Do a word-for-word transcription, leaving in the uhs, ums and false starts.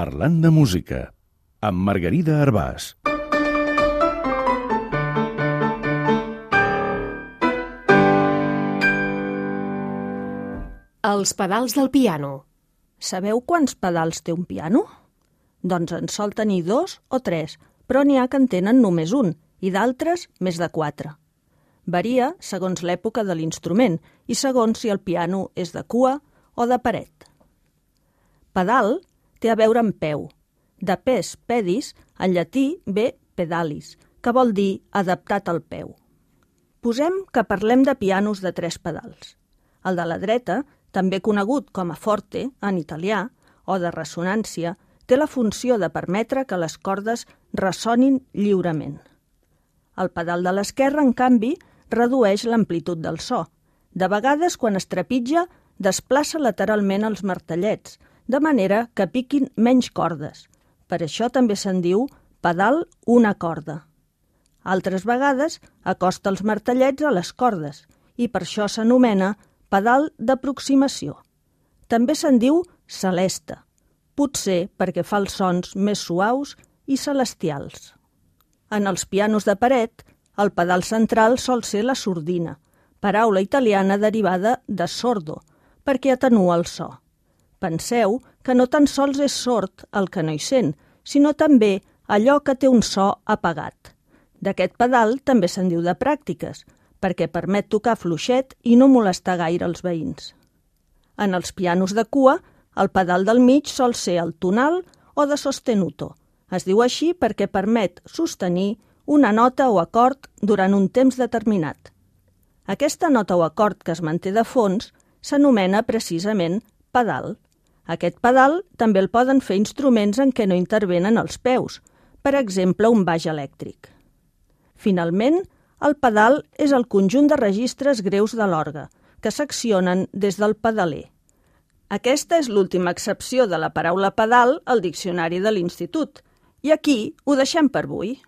Parlant de música, amb Margarida Arbàs. Els pedals del piano. Sabeu quants pedals té un piano? Doncs en sol tenir dos o tres, però n'hi ha que en tenen només un i d'altres més de quatre. Varia segons l'època de l'instrument i segons si el piano és de cua o de paret. Pedal té a veure amb peu. De pes pedis, en llatí ve pedalis, que vol dir adaptat al peu. Posem que parlem de pianos de tres pedals. El de la dreta, també conegut com a forte en italià, o de ressonància, té la funció de permetre que les cordes ressonin lliurement. El pedal de l'esquerra, en canvi, redueix l'amplitud del so. De vegades, quan es trepitja, desplaça lateralment els martellets, de manera que piquin menys cordes. Per això també se'n diu pedal una corda. Altres vegades acosta els martellets a les cordes i per això s'anomena pedal d'aproximació. També se'n diu celesta, potser perquè fa els sons més suaus i celestials. En els pianos de paret, el pedal central sol ser la sordina, paraula italiana derivada de sordo, perquè atenua el so. Penseu que no tan sols és sord el que no hi sent, sinó també allò que té un so apagat. D'aquest pedal també se'n diu de pràctiques, perquè permet tocar fluixet i no molestar gaire els veïns. En els pianos de cua, el pedal del mig sol ser el tonal o de sostenuto. Es diu així perquè permet sostenir una nota o acord durant un temps determinat. Aquesta nota o acord que es manté de fons s'anomena precisament pedal. Aquest pedal també el poden fer instruments en què no intervenen els peus, per exemple un baix elèctric. Finalment, el pedal és el conjunt de registres greus de l'orgue, que s'accionen des del pedaler. Aquesta és l'última accepció de la paraula pedal al diccionari de l'Institut, i aquí ho deixem per avui.